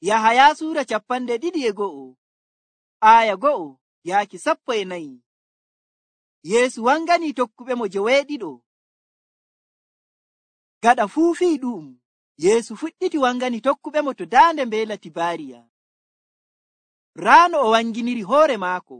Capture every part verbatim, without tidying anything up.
Yahaya suura capanɗe ɗiɗi e go'o aya go'o yaaki sappo e nayi. Yeesu wangani tokkuɓe mo joweeɗiɗo. Gaɗa fuufii ɗu'um, Yeesu fuɗɗiti wangani tokkuɓe mo to daande mbeela Tibaariya. Raano o wanginiri hoore maako.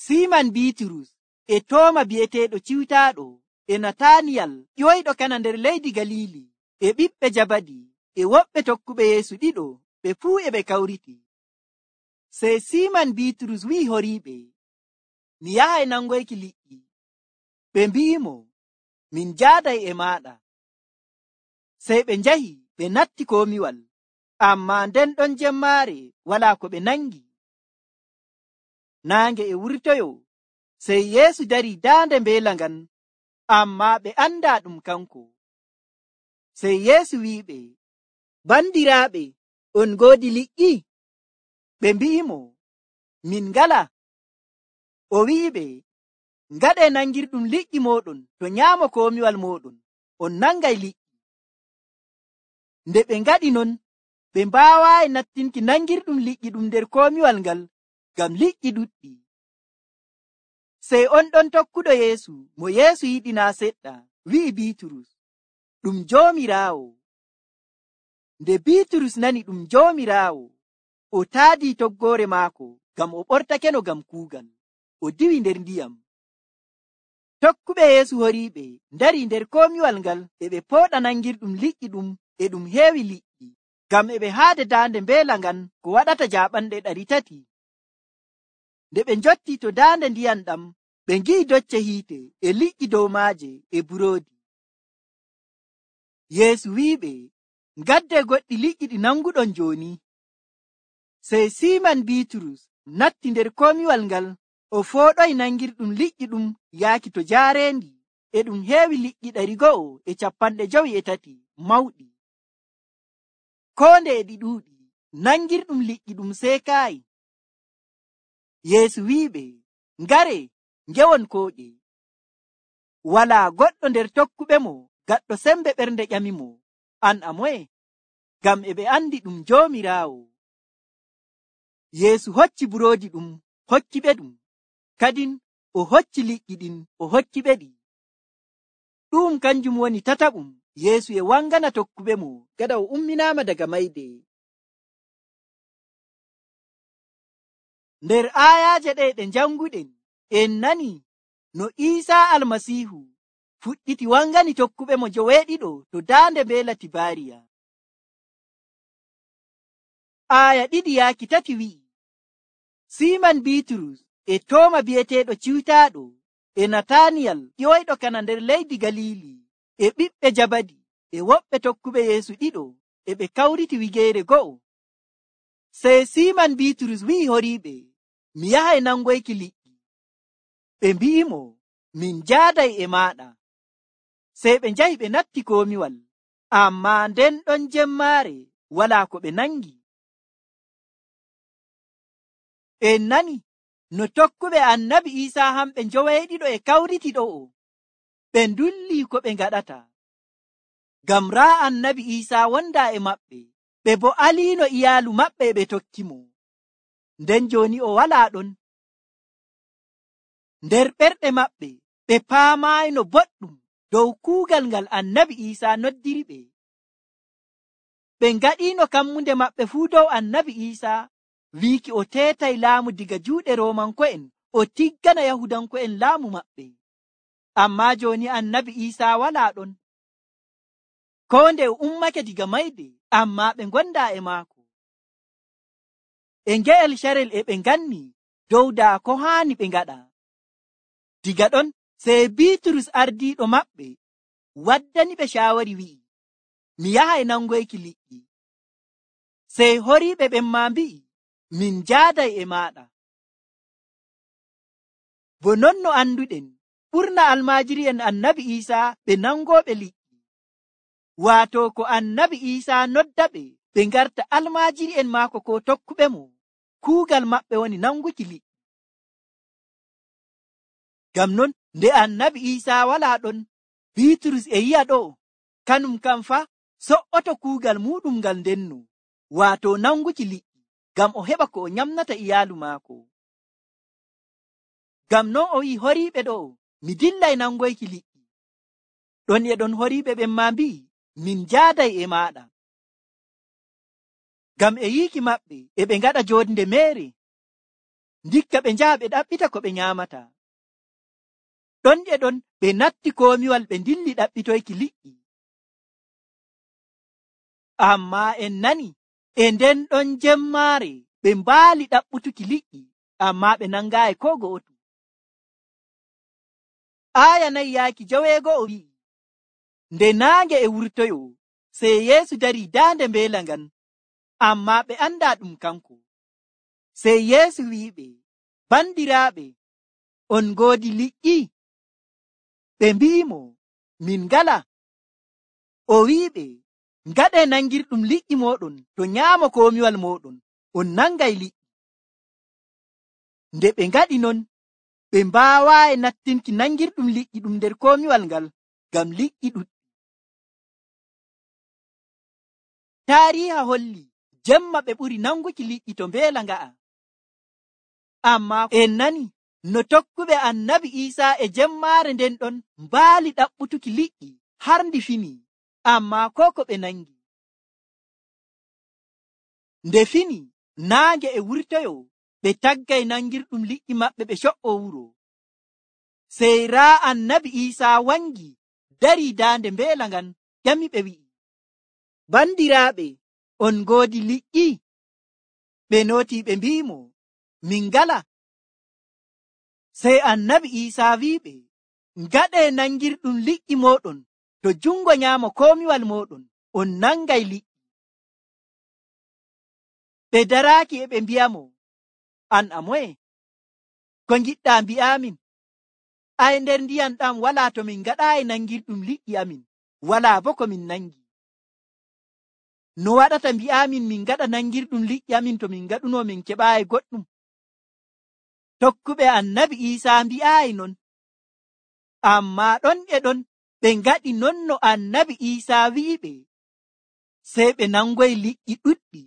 Siiman Biiturus e Tooma bi'eteeɗo Ciwtaaɗo e Nataniyal ƴoyɗo kana nder leydi Galiili e ɓiɓɓe Jabadi e woɓɓe tokkuɓe Yeesu ɗiɗo ɓe fuu e ɓe kawriti. Sey Siiman Biiturus wi'i horiiɓe, mi yahay nangoyki liƴƴi. Ɓe mbi'imo, min njaaday e maaɗa. Sey ɓe njahi ɓe natti komiwal, ammaa nden ɗon jemmaare walaa ko ɓe nangi. Naange e wurtoyo, sey Yeesu darii daande mbeela ngan, ammaa ɓe andaa ɗum kanko. Sey Yeesu wi'iɓe, bandiraaɓe, on ngoodi liƴƴi? Ɓe mbi'imo, min ngala. O wi'iɓe, ngaɗee nangirɗum liƴƴi mooɗon to nyaamo komiwal mooɗon, on nangay liƴƴi. Nde ɓe ngaɗi non, ɓe mbaawaayi nattinki nangirɗum liƴƴi ɗum nder komiwal ngal, ngam liƴƴi ɗuɗɗi. Sey on ɗon tokkuɗo Yeesu mo Yeesu yiɗi naa seɗɗa wi'i Biiturus, ɗum Joomiraawo. Nde Biiturus nani ɗum Joomiraawo, o taadii toggoore maako ngam o ɓortakeno ngam kuugal, o diwi nder ndiyam. Tokkuɓe Yeesu horiiɓe ndarii nder komiwal ngal e ɓe pooɗa nangirɗum liƴƴi ɗum e ɗum heewi liƴƴi, ngam e ɓe haade daande mbeela ngan ko waɗata jaaɓanɗe ɗari tati. Nde ɓe njottii to daande ndiyam ɗam, ɓe ngi'i docce hiite e liƴƴi dow maaje e buroodi. Yeesu wi'iɓe, ngaddee goɗɗi liƴƴi ɗi nanguɗon jooni. Sey Siiman Biiturus natti nder komiwal ngal, o fooɗoyi nangirɗum liƴƴi ɗum yaaki to jaareendi, e ɗum heewi liƴƴi ɗari go'o e capanɗe jowi e tati mawɗi. Koo nde e ɗi ɗuuɗi, nangirɗum liƴƴi ɗum seekaayi. Yeesu wi'iɓe, ngaree, ngewon kooƴe. Walaa goɗɗo nder tokkuɓe mo gaɗɗo sembe ɓernde ƴamimo, an a moye? Ngam e ɓe andi ɗum Joomiraawo. Yeesu hocci buroodi ɗum, hokkiɓe ɗum, kadin o hocci liƴƴi ɗin, o hokkiɓe ɗi. Ɗum kanjum woni tataɓum Yeesu e wangana tokkuɓe mo gaɗa o umminaama daga mayde. Nder aayaaje ɗe ɗe janguɗen, en nani no Iisaa Almasiihu fuɗɗiti wangani tokkuɓe mo joweeɗiɗo to daande mbeela Tibaariya. Aaya ɗiɗi yaaki tati wi'i, Siiman Biiturus e Tooma bi'eteeɗo Ciwtaaɗo e Nataniyal ƴoyɗo kana nder leydi Galiili e ɓiɓɓe Jabadi e woɓɓe tokkuɓe Yeesu ɗiɗo e ɓe kawriti wigeere go'o. Sey Siiman Biiturus wi'i horiiɓe, mi yahay nangoyki liƴƴi. Ɓe mbi'imo, min njaaday e maaɗa. Sey ɓe njahi ɓe natti komiwal, ammaa nden ɗon jemmaare walaa ko ɓe nangi. En nani no tokkuɓe annabi Iisaa hamɓe njoweeɗiɗo e kawriti ɗo'o, ɓe ndullii ko ɓe ngaɗata. Ngam raa annabi Iisaa wondaa e maɓɓe, ɓe bo aliino iyaalu maɓɓe e ɓe tokki mo. Nden jooni o walaa ɗon. Nder ɓerɗe maɓɓe ɓe paamaayno boɗɗum dow kuugal ngal annabi Iisaa noddiri ɓe. Ɓe ngaɗiino kammunde maɓɓe fuu dow annabi Iisaa, wiiki o teetay laamu diga juuɗe Roomanko'en o tiggana Yahudanko'en laamu maɓɓe. Ammaa jooni annabi Iisaa walaa ɗon. Koo nde o ummake diga mayde, ammaa ɓe ngondaa e maako. E nge'el carel e ɓe nganni dow daa ko haani ɓe ngaɗa. Diga ɗon sey Biiturus ardiiɗo maɓɓe waddani ɓe caawari wi'i, mi yahay nangoyki liƴƴi. Sey horiiɓe ɓen maa mbi'i, min njaaday e maaɗa. Bo non no anduɗen, ɓurna almaajiri'en annabi Iisaa ɓe nangooɓe liƴƴi. Waato ko annabi Iisaa nodda ɓe ɓe ngarta almaajiri'en maako ko tokkuɓe mo, kuugal maɓɓe woni nanguki liƴƴi. Ngam non nde annabi Iisaa walaa ɗon, Biiturus e yi'a ɗo, kanum kam fa so'oto kuugal muɗum ngal ndenno, waato nanguki liƴƴi ngam o heɓa ko o nyamnata iyaalu maako. Ngam non o wi'i horiiɓe ɗo, mi dillay nangoyki liƴƴi. Ɗon e ɗon horiiɓe ɓen maa mbi'i, min njaaday e maaɗa. Ngam e yiiki maɓɓe e ɓe ngaɗa joonde meere, ndikka ɓe njaha ɓe ɗaɓɓita ko ɓe nyaamata. Ɗon e ɗon ɓe natti koomiwal ɓe dilli ɗaɓɓitoyki liƴƴi. Ammaa en nani e nden ɗon jemmaare ɓe mbaali ɗaɓɓutuki liƴƴi, ammaa ɓe nangaayi koo go'oto. Aaya nayi yaaki joweego'o wi'i, nde naange e wurtoyo, sey Yeesu darii daande mbeela ngan, ammaa ɓe andaa ɗum kanko. Sey Yeesu wi'iɓe, bandiraaɓe, on ngoodi liƴƴi? Ɓe mbi'imo, min ngalaa. O wi'iɓe, ngaɗee nangirɗum liƴƴi mooɗon to nyaamo koomiwal mooɗon, on nangay liƴƴi. Nde ɓe ngaɗi non, ɓe mbaawaayi nattinki nangirɗum liƴƴi ɗum nder koomiwal ngal, ngam liƴƴi ɗuɗɗi. Taariiha holli jemma ɓe ɓuri nanguki liƴƴi to mbeela nga'a. Ammaa en nani no tokkuɓe annabi Iisaa e jemmaare nden ɗon mbaali ɗaɓɓutuki liƴƴi har ndi fini, ammaa koo ko ɓe nangi. Nde fini naange e wurtoyo, ɓe taggay nangirɗum liƴƴi maɓɓe ɓe co''o wuro. Sey raa annabi Iisaa wangi darii daande mbeela ngan, ƴami ɓe wi'i, bandiraaɓe, on ngoodi liƴƴi? Ɓe nootii ɓe mbi'imo, min ngalaa. Sey annabi Iisaa wi'iɓe, ngaɗee nangirɗum liƴƴi mooɗon to jungo nyaamo koomiwal mooɗon, on nangay liƴƴi. Ɓe daraaki e ɓe mbi'amo, an a moye? Ko ngiɗɗaa mbi'aamin? Ay, nder ndiyam ɗam walaa to min ngaɗaayi nangirɗum liƴƴi amin, walaa bo ko min nangi. No waɗata mbi'aamin min ngaɗa nangirɗum liƴƴi amin to min ngaɗuno min keɓaayi goɗɗum? Tokkuɓe annabi Iisaa mbi'aayi non. Ammaa ɗon e ɗon ɓe ngaɗi non no annabi Iisaa wi'iɓe, sey ɓe nangoyi liƴƴi ɗuɗɗi,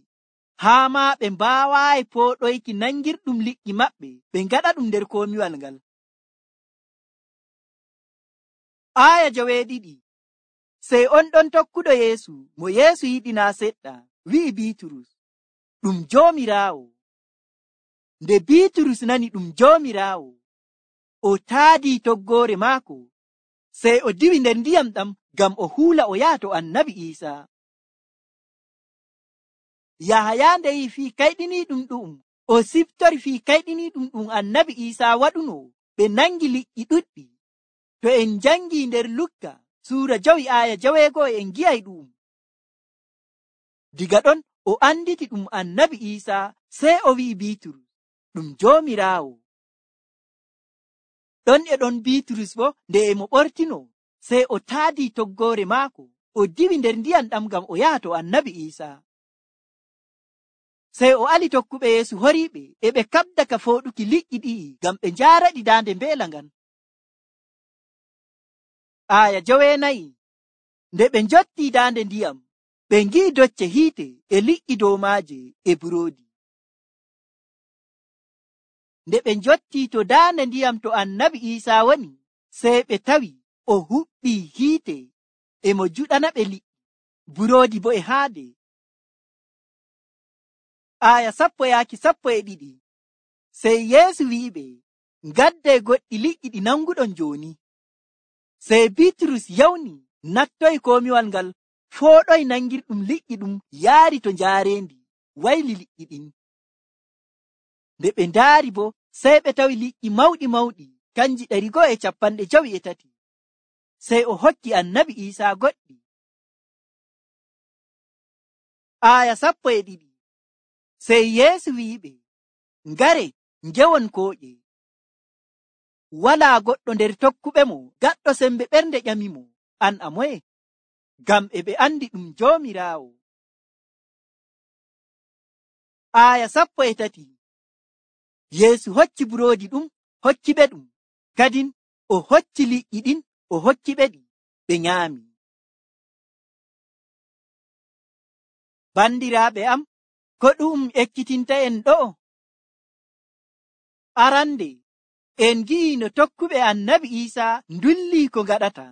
haa maa ɓe mbaawaayi pooɗoyki nangirɗum liƴƴi maɓɓe ɓe ngaɗa ɗum nder koomiwal ngal. Aaya joweeɗiɗi. Sey on ɗon tokkuɗo Yeesu mo Yeesu yiɗi naa seɗɗa wi'i Biiturus, ɗum Joomiraawo. Nde Biiturus nani ɗum Joomiraawo, o taadii toggoore maako, sey o diwi nder ndiyam ɗam ngam o huula o yaha to annabi Iisaa. Yahaya nde yi'i fii kayɗiniiɗum ɗu'um, o siftori fii kayɗiniiɗum ɗum annabi Iisaa waɗuno, ɓe nangi liƴƴi ɗuɗɗi. To en njangii nder Lukka suura jowi aaya joweego'o en ngi'ay ɗu'um. Diga ɗon o anditi ɗum annabi Iisaa, sey o wi'i Biiturus, ɗum Joomiraawo. Ɗon e ɗon Biiturus bo nde e mo ɓortino, sey o taadii toggoore maako, o diwi nder ndiyam ɗam ngam o yaha to annabi Iisaa. Sey o ali tokkuɓe Yeesu horiiɓe e ɓe kaɓda ka fooɗuki liƴƴi ɗi'i ngam ɓe njaaraɗi daande mbeela ngan. Aaya joweenayi. Nde ɓe njottii daande ndiyam, ɓe ngi'i docce hiite e liƴƴi dow maaje e buroodi. Nde ɓe njottii to daande ndiyam to annabi Iisaa woni, sey ɓe tawi o huɓɓii hiite e mo juɗana ɓe liƴƴi, buroodi bo e haade. Aaya sappo yaaki sappo e ɗiɗi. Sey Yeesu wi'iɓe, ngaddee goɗɗi liƴƴi ɗi nanguɗon jooni. Sey Biiturus yawni nattoyi koomiwal ngal, fooɗoyi nangirɗum liƴƴi ɗum yaari to njaareendi, wayli liƴƴi ɗin. Nde ɓe ndaari bo, sey ɓe tawi liƴƴi mawɗi mawɗi, kanji ɗari go'o e capanɗe jowi e tati. Sey o hokki annabi Iisaa goɗɗi. Aaya sappo e ɗiɗi. Sey Yeesu wi'iɓe, ngare ngewon kooƴe. Walaa goɗɗo nder tokkuɓe mo gaɗɗo sembe ɓernde ƴamimo, an a moye? Ngam e ɓe andi ɗum Joomiraawo. Aaya sappo e tati. Yeesu hocci buroodi ɗum, hokki ɓe ɗum, kadin o hocci liƴƴi ɗin, o hokki ɓe ɗi, ɓe nyaami. Bandiraaɓe am, ko ɗum ekkitinta en ɗo? Arande en gi'i no tokkuɓe annabi Iisaa ndulli ko ngaɗata.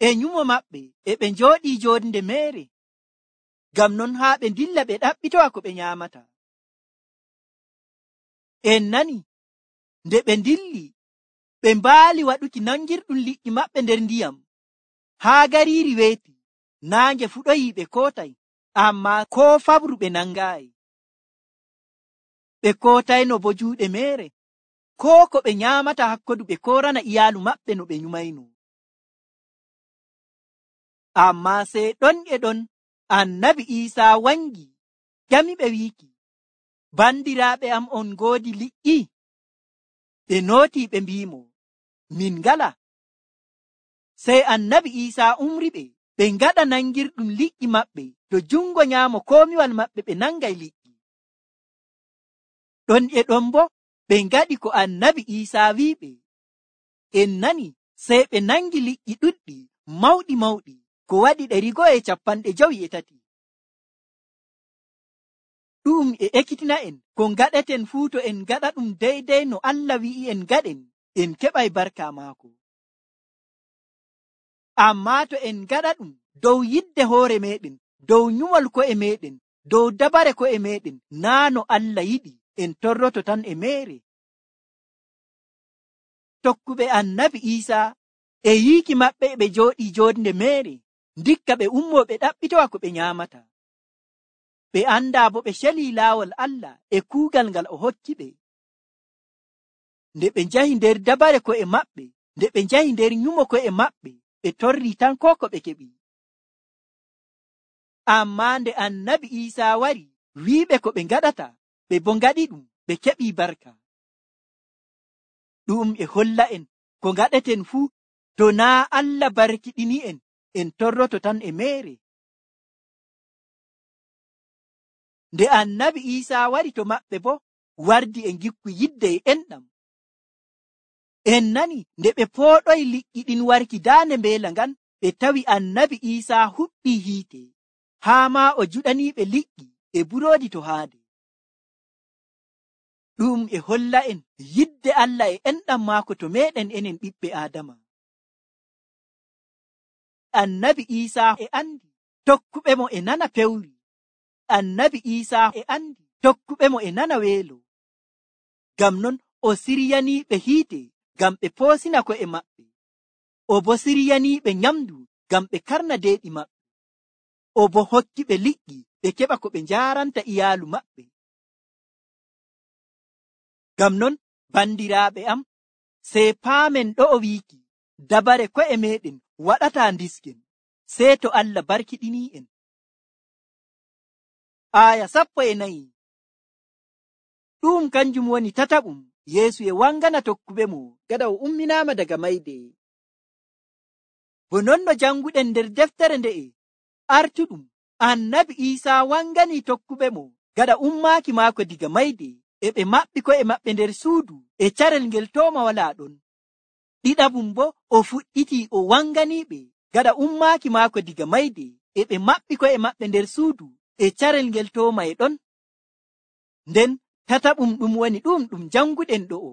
E nyumo maɓɓe e ɓe njooɗii joonde meere, ngam non haa ɓe dilla ɓe ɗaɓɓitowa ko ɓe nyaamata. En nani nde ɓe dilli ɓe mbaali waɗuki nangirɗum liƴƴi maɓɓe nder ndiyam, haa gariiri weeti, naange fuɗoyi ɓe kootay, ammaa koo fabru ɓe nangaayi. Ɓe kootayno bo juuɗe meere, koo ko ɓe nyaamata hakkodu ɓe koorana iyaalu maɓɓe no ɓe nyumayno. Ammaa sey ɗon e ɗon annabi Iisaa wangi ƴamiɓe wiiki, bandiraaɓe am, on ngoodi liƴƴi? Ɓe nootii ɓe mbi'imo, min ngala. Sey annabi Iisaa umriɓe ɓe ngaɗa nangirɗum liƴƴi maɓɓe to jungo nyaamo komiwal maɓɓe ɓe nangay liƴƴi. Ɗon e ɗon bo ɓe ngaɗi ko annabi Iisaa wi'iɓe. En nani sey ɓe nangi liƴƴi ɗuɗɗi mawɗi mawɗi ko waɗi ɗari go'o e capanɗe jowi e tati. Ɗum e ekkitina en ko ngaɗeten fuu to en ngaɗa ɗum deydey no Allah wi'i en ngaɗen, en keɓay barka maako. Ammaa to en ngaɗa ɗum dow yidde hoore meɗen, dow nyumol ko'e meɗen, dow dabare ko'e meɗen, naa no Allah yiɗi, en torroto tan e meere. Tokkuɓe annabi Iisaa e yiiki maɓɓe ɓe jooɗii joonde meere, ndikka ɓe ummoo ɓe ɗaɓɓitowa ko ɓe nyaamata. Ɓe andaa bo ɓe celii laawol Allah e kuugal ngal o hokki ɓe. Nde ɓe njahi nder dabare ko'e maɓɓe, nde ɓe njahi nder nyumo ko'e maɓɓe, ɓe torrii tan koo ko ɓe keɓi. Ammaa nde annabi Iisaa wari wi'iɓe ko ɓe ngaɗata, ɓe bo ngaɗi ɗum, ɓe keɓii barka. Ɗum e holla en ko ngaɗeten fuu to naa Allah barkiɗini en, en torroto tan e meere. Nde annabi Iisaa wari to maɓɓe bo wardi e ngikku yidde e enɗam. En nani nde ɓe pooɗoyi liƴƴi ɗin warki daande mbeela ngan, ɓe tawi annabi Iisaa huɓɓii hiite, haa maa o juɗaniiɓe liƴƴi e buroodi to haade. Ɗum e holla en yidde Allah e enɗam maako to meeɗen enen ɓiɓɓe Aadama. Annabi Iisaa e andi tokkuɓe mo e nana pewri. Annabi Iisaa e andi tokkuɓe mo e nana weelo. Ngam non o siryaniiɓe hiite ngam ɓe poosina ko'e maɓɓe. O bo siryaniiɓe nyamdu ngam ɓe karna deeɗi maɓɓe. O bo hokkiɓe liƴƴi ɓe keɓa ko ɓe njaaranta iyaalu maɓɓe. Ngam non bandiraaɓe am, sey paamen ɗo o wiiki dabare ko'e meɗen waɗataa ndisken, sey to Allah barkiɗinii en. Aya sappo e nayi. Ɗum kanjum woni tataɓum Yeesu e wangana tokkuɓe mo gada o umminaama daga mayde. Bo non no janguɗen nder deftere nde'e artuɗum, annabi Iisaa wangani tokkuɓe mo gada ummaaki maako diga mayde, e ɓe maɓɓi ko'e maɓɓe nder suudu e carel ngel tooma walaa ɗon. Ɗiɗaɓum bo o fuɗɗiti o wanganiiɓe gada ummaaki maako diga mayde, e ɓe maɓɓi ko'e maɓɓe nder suudu e carel ngel tooma e ɗon. Nden tataɓum ɗum woni ɗum ɗum janguɗen ɗo'o.